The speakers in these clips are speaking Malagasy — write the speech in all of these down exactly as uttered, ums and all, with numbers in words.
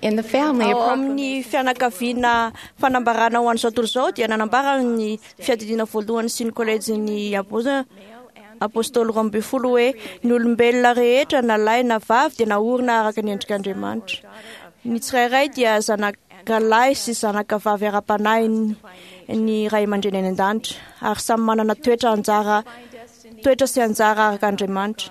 In the family, a Ao amin'ny fianakaviana fanambarana ho an'izao tontolo izao dia nanambara ny fiadidiana voalohany sy ny kolejin'ny Apoza- apôstôly roa ambin'ny folo hoe ny olombelona rehetra na lahy na vavy dia naorina araka ny endrik'Andriamanitra. Ny tsirairay dia zanaka lahy sy zanaka vavy ara-panahy ny- ny ray aman-dreny any an-danitra ary samy manana toetra anjara toetra sy anjara araka Andriamanitra.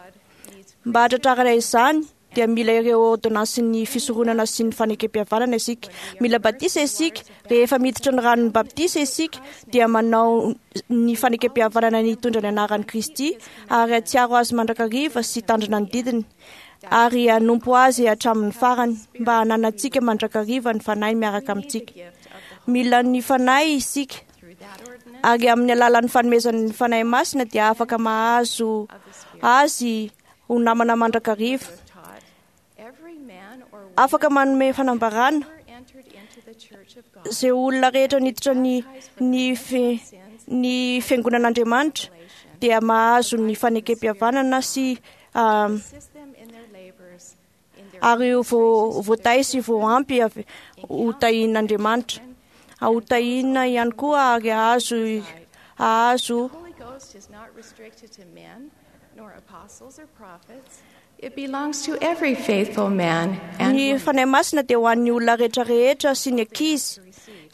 Mba hahatratrarana izany dia mila ireo ordonnansin'ny fisoronana sy ny fanekempihavanana isika. Mila batisa isika, rehefa miditra ny ranon'ny batisa isika dia manao ny fanekempihavanana ny hitondra ny anaran'i Kristy ary hatsiaro azy mandrakariva sy tandrina ny didiny ary hanompo azy hatramin'ny farany mba hananantsika mandrakariva ny fanahy miaraka amintsika. Mila ny fanahy isika ary amin'ny alalan'ny fanomezan'ny fanahy masina dia afaka mahazo azy ho namana mandrakariva. taught, every man or Afaka manome fanambarana whoever entered into the church of God izay olona rehetra niditra ny ny fi, ny fiangonan'Andriamanitra dia mahazo ny fanekempihavanana sy ah, assist them in their labors, in their ary ho vo- voatahy sy voampy avy ho tahian'Andriamanitra. Ho tahiana ihany koa ary hahazo hahazo The Holy Ghost is not restricted to men, nor apostles or prophets. It belongs to every faithful man and Ny woman fanahy masina dia ho an'ny olona rehetra rehetra sy ny ankizy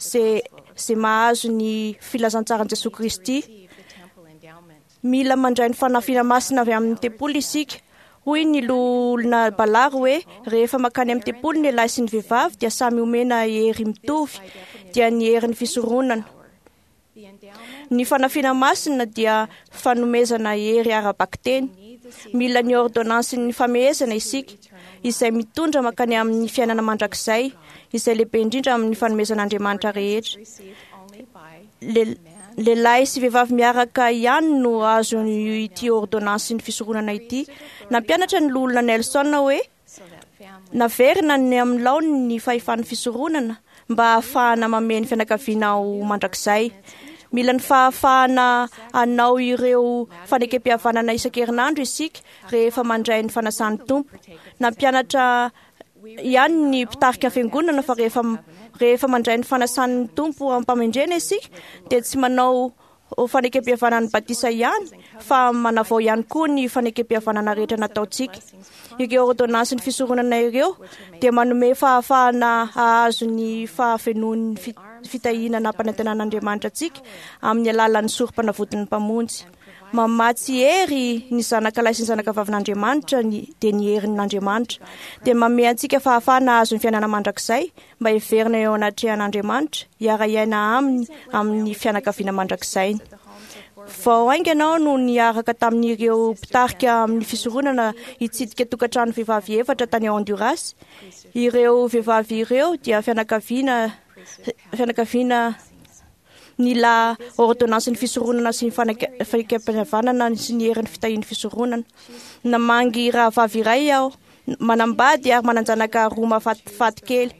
izay izay mahazo ny filazantsaran'i Jesoa Kristy. receive the temple endowment. Mila mandray ny fanafiana masina avy amin'ny tempoly isika. Hoy ny loholona Balary hoe rehefa mankany amin'ny tempoly ny lahy sy ny vehivavy dia samy omena hery mitovy dia ny herin'ny fisoronana. The endowment Ny fanafiana masina dia fanomezana hery ara-bakiteny. Mila ny ordonnansin'ny famehezana isika izay mitondra mankany amin'ny fiainana mandrakizay izay lehibe indrindra amin'ny fanomezan'Andriamanitra rehetra. received only by Le- Lehilahy sy vehivavy miaraka ihany no azo ity ordonnansin'ny fisoronana ity. Nampianatra ny loholona Nelson hoe so that family naverina ny amin'ny laoniny ny fahefan'ny fisoronana mba hahafahana mamehy ny fianakaviana ho mandrakizay. Mila ny fahafahana hanao ireo fanekempihavanana isan-kerinandro isika rehefa mandray ny fanasan'ny Tompo. Nampianatra ihany ny mpitarika fiangonana fa rehefa rehefa mandray ny fanasan'ny Tompo am-pamendrena isika dia tsy manao fanekempihavanana ny batisa ihany fa manavao ihany koa ny fanekempihavanana rehetra nataontsika. Ireo ordonnansin'ny ny fisoronana ireo dia manome fahafahana hahazo ny fahafenoan'ny fi- fitahiana nampanantenan'Andriamanitra antsika amin'ny alalan'ny sorom-panavotin'ny Mpamonjy. Mamatsy hery ny zanaka lahy sy ny zanaka vavin'Andriamanitra ny dia ny herin'Andriamanitra. Dia manome antsika fahafahana hahazo ny fiainana mandrakizay mba hiverina eo anatrehan'Andriamanitra hiara-hiaina aminy amin'ny fianakaviana mandrakizay. Vao haingana aho no niaraka tamin'ireo mpitarika amin'ny fisoronana hitsidika tokantrano vehivavy efatra tany Honduras. Ireo vehivavy ireo dia fianakaviana fianakaviana nila ordonnansin'ny fisoronana sy ny faneke- fanekempihavanana sy ny herin'ny fitahian'ny fisoronana. Namangy rahavavy iray aho, manambady ary manan-janaka roa mahafatifaty kely.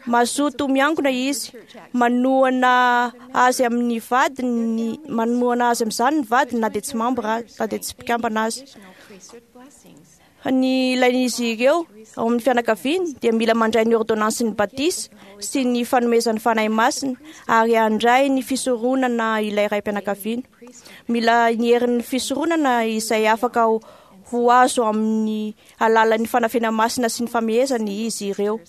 Mazoto miangona izy, manohana azy amin'ny vadiny, manohana azy amin'izany ny vadiny na dia tsy mambra na dia tsy mpikambana azy. additional priesthood blessings. Ny ilain'izy ireo ao amin'ny fianakaviany dia mila mandray ny ordonnansin'ny batisa sy ny fanomezan'ny fanahy masina ary handray ny fisoronana ilay raim-pianakaviana. Mila ny herin'ny fisoronana izay afaka ho, ho azo amin'ny alalan'ny fanafena masina sy ny famehezana izy ireo.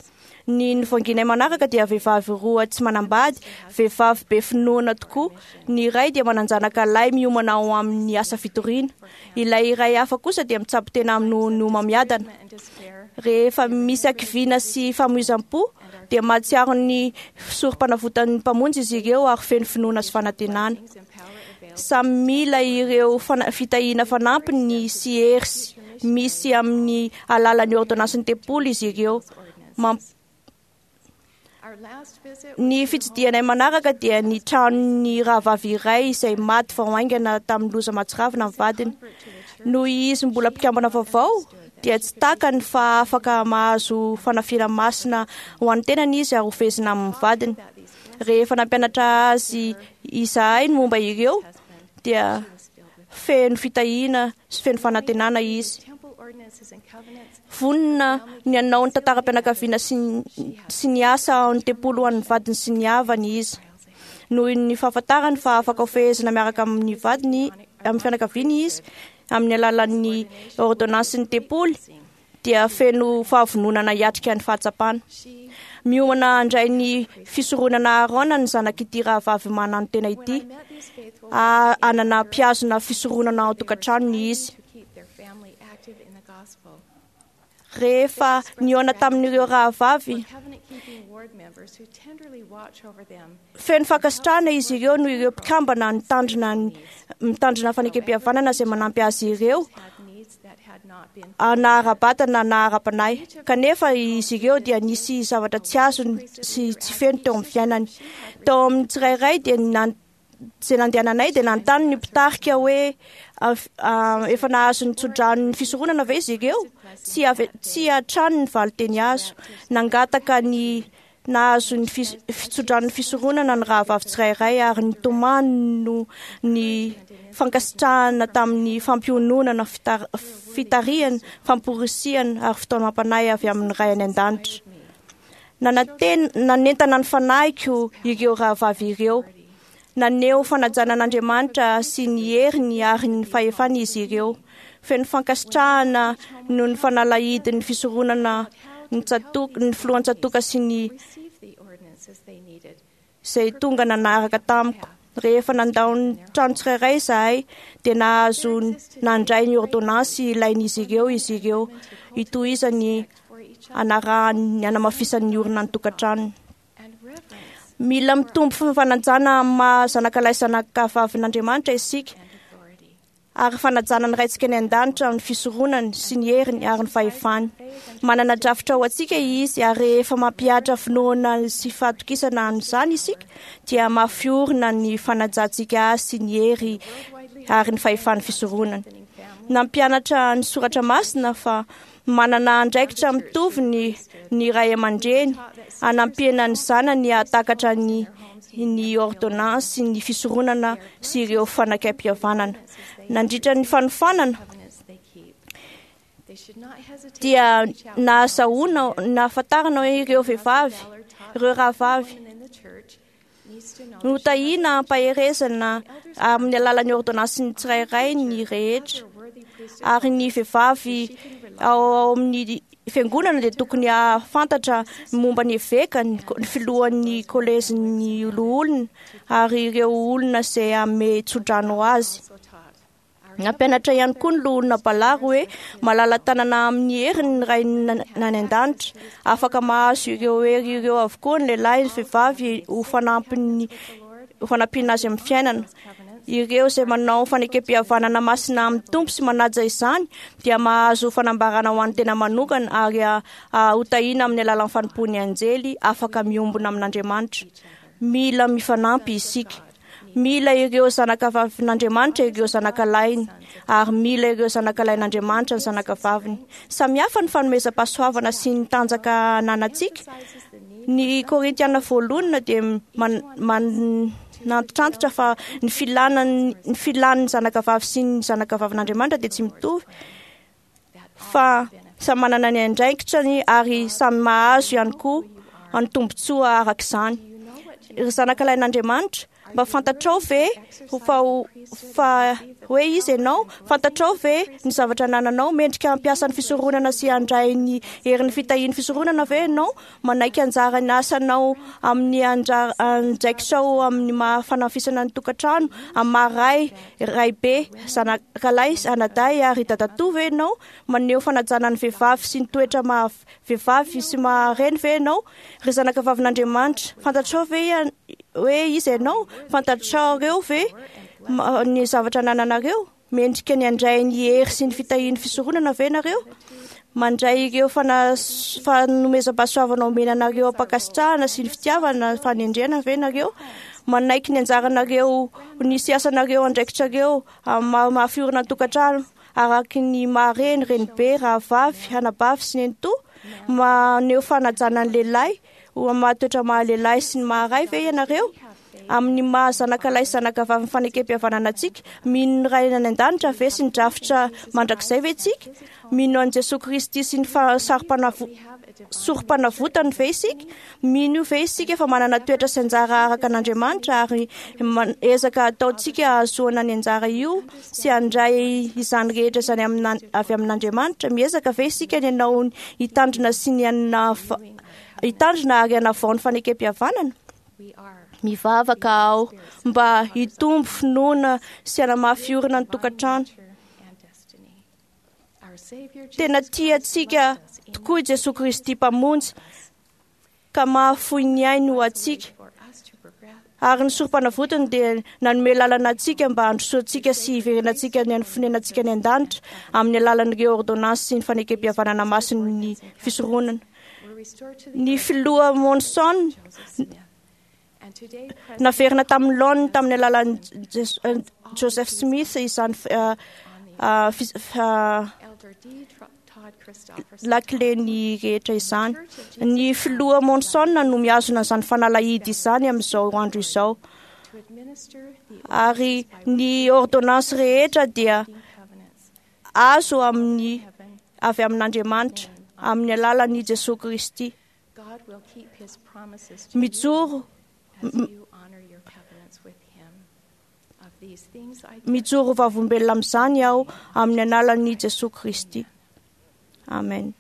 Ny novanginay manaraka dia vehivavy roa tsy manambady, vehivavy be finoana tokoa. Ny iray dia manan-janaka lahy miomana ao amin'ny asa fitoriana. Ilay iray hafa kosa dia mitsabo tena amin'ny homamiadana. And despair Rehefa misy hakiviana sy famoizam-po dia mahatsiaro ny sorom-panavotan'ny Mpamonjy izy ireo ary feno finoana sy fanantenana. and power available Samy mila ireo fana- fitahiana fanampiny sy hery sy- misy amin'ny alalan'ny ordonnansin'ny tempoly izy ireo. Mamp- Our last visit Ny fitsidihanay manaraka dia ny tranon'ny rahavavy iray izay maty vao haingana tamin'ny loza mahatsiravina ny vadiny. Noho izy mbola mpikambana vaovao dia tsy takany fa afaka mahazo fanafiana masina ho an'ny tenany izy ary hofehezina amin'ny vadiny. Rehefa nampianatra azy izahay ny momba ireo dia feno fitahiana sy feno fanantenana izy. temple Vonona ny hanao ny tantaram-pianakaviana sy sy ny asa ao ny tempoly ho an'ny vadiny sy ny havany izy. Noho ny fahafantarany fa afaka hofehezina miaraka amin'ny vadiny amin'ny fianakaviany izy amin'ny alalan'ny ordonnansin'ny tempoly dia feno fahavononana hiatrika ny fahatsapana. Miomana handray ny fisoronana Aarona ny zanak'ity rahavavy mananotena ity. Hanana mpihazona fisoronana ao an-tokantranony izy. Rehefa nihaona tamin'ireo rahavavy, feno fankasitrahana izy ireo noho ireo mpikambana nitandrina mitandrina fanekempihavanana izay manampy azy ireo na ara-batana na ara-panahy. Kanefa izy ireo dia nisy zavatra tsy azony sy tsy feno teo amin'ny fiainany. Tao amin'ny tsirairay dia nan izay nandehananay dia nanontany ny mpitarika hoe efa nahazo ny tsodranon'ny fisoronana ve izy ireo? Tsy avy tsy hatrany ny valinteny azo. Nangataka ny nahazo ny fitsodranon'ny fisoronana ny rahavavy tsirairay ary nitomany no ny fankasitrahana tamin'ny fampiononana, fitarihana, famporisihana ary fitaomam-panahy avy amin'ny Ray any an-danitra. Nanantena nanentana ny fanahiko ireo rahavavy ireo. Naneho fanajana an'Andriamanitra sy ny heriny ary ny fahefany izy ireo. Feno fankasitrahana noho ny fanalahidin'ny fisoronana ny tsatoka ny filohan-tsatoka sy ny izay tonga nanaraka tamiko. Rehefa nandao ny trano tsirairay izahay dia nahazo nandray ny ordonnance ilain'izy ireo izy ireo hitohizany anarahany hanamafisany ny orina ny tokantranony. Mila mitombo fanajana amin'ny maha zanakalahy zanakavavin'Andriamanitra isika ary fanajana ny Raintsika any an-danitra amin'ny fisoronany sy ny heriny ary ny fahefany. Manana drafitra ho antsika izy ary rehefa mampihatra finoana sy fahatokisana an'izany isika dia mafy orina ny fanajantsika azy sy ny hery ary ny fahefan'ny fisoronany. Nampianatra ny soratra masina fa manana andraikitra mitovy ny ny ray aman-dreny hanampiana ny zanany hahatakatra ny ny ordonnance ny fisoronana sy ireo fanekempihavanana. Nandritra ny fanofanana dia nahazahoana nahafantarana hoe ireo vehivavy, ireo rahavavy notahiana ampaherezana amin'ny alalan'ny ordonnance ny tsirairay ny rehetra ary ny vehivavy ao amin'ny fiangonana dia tokony hahafantatra momba ny eveka, ny filohan'ny kolejin'ny loholona ary ireo olona izay hanome tsodrano azy. Nampianatra ihany koa ny loholona Balary hoe malala-tanana amin'ny heriny ny Ray any an-danitra. Afaka mahazo ireo hery ireo avokoa ny lehilahy ny vehivavy ho fanampiny ho fanampiana azy amin'ny fiainana. Ireo izay manao fanekempihavanana masina amin'ny Tompo sy manaja izany dia mahazo fanambarana ho an'ny tena manokana ary hotahiana amin'ny alalan'ny fanompoan'ny anjely afaka miombona amin'Andriamanitra. Mila mifanampy isika. Mila ireo zanakavavin'Andriamanitra ireo zanakalahiny ary mila ireo zanakalahin'Andriamanitra ny zanakavaviny. Samy hafa ny fanomezam-pahasoavana sy ny tanjaka ananantsika. Ny Korintiana voalohany dia man, man, nantitrantitra fa ny filana ny filan'ny zanakavavy sy ny zanakavavin'Andriamanitra dia tsy mitovy fa samy manana ny andraikitrany ary samy mahazo ihany koa ny tombontsoa araka izany. Ry zanakalahin'Andriamanitra, mba fantatrao ve fa fa hoe izy ianao? Fantatrao ve ny zavatra anananao? Mendrika hampiasa ny fisoronana sy handray ny herin'ny fitahian'ny fisoronana ve ianao? Manaiky anjara ny asanao amin'ny andraikitrao amin'ny maha fanafisana ny tokantrano, amin'ny maha ray, raibe, zanakalahy, anadahy ary dadatoa ve ianao? Maneho fanajana ny vehivavy sy ny toetra maha vehivavy sy maha reny ve ianao? Ry zanakavavin'Andriamanitra, fantatrao ve hoe izy ianao? Fantatrareo ve ny zavatra anananareo? Mendrika ny handray ny hery sy ny fitahian'ny fisoronana ve nareo? Mandray ireo fanomezam-pahasoavana omena anareo am-pankasitrahana sy ny fitiavana fanendrena ve nareo? Manaiky ny anjaranareo, ny siasanareo, andraikitrareo amin'ny maha fiorina ny tokantrano araky ny maha reny, renibe, rahavavy, anabavy sy nenitoa? Maneho fanajana ny lehilahy ho amin'ny maha toetra maha lehilahy sy ny maha ray ve ianareo? Amin'ny maha zanakalahy sy zanakavavin'ny fanekempihavanana antsika, mino ny Ray any an-danitra ve sy ny drafitra mandrakizay ve isika? Mino an'i Jesoa Kristy sy ny fa- sarom-panavo- sorom-panavotany ve isika? Mino ve isika fa manana toetra sy anjara araka an'Andriamanitra ary man- ezaka ataontsika hahazoana ny anjara io sy handray izany rehetra izany amina- avy amin'Andriamanitra? Miezaka ve isika ny hanao hitandrina sy ny hanava- hitandrina ary hanavao ny fanekempihavanana? We are Mivavaka aho mba hitombo finoana sy hanamafy orina ny tokantrano. nature and destiny. Our Savior Tena Jesus tia Christ antsika loved us in tokoa i Jesoa Kristy Mpamonjy ka mahafoy ny ainy ho antsika. for us to progress Ary ny sorom-panavotany dia nanome lalana antsika mba handrosoantsika sy hiverenantsika ny fonenantsika any an-danitra amin'ny alalan'ireo ordonnance sy ny fanekempihavanana masin'ny fisoronana. We're restored to the Ny filoha Monson Joseph Smith. And today, President naverina tamin'ny laoniny tamin'ny alalan'ny Jes- eh, Joseph Smith izany eh, eh, fis- eh, Elder D. Tro- Todd Christofferson lakile-ny rehetra izany. Ny filoha Monson no mihazona izany fanalahidy izany amin'izao andro izao. to administer the Ary ny ordonnance rehetra dia covenants azo amin'ny heaven. avy amin'Andriamanitra amin'ny alalan'i Jesoa Kristy. God will keep his promises to you Mijoro as you honor your covenants with him. Of these things I mijoro vavolombelona amin'izany aho amin'ny alalan'i Jesoa Kristy. Amen.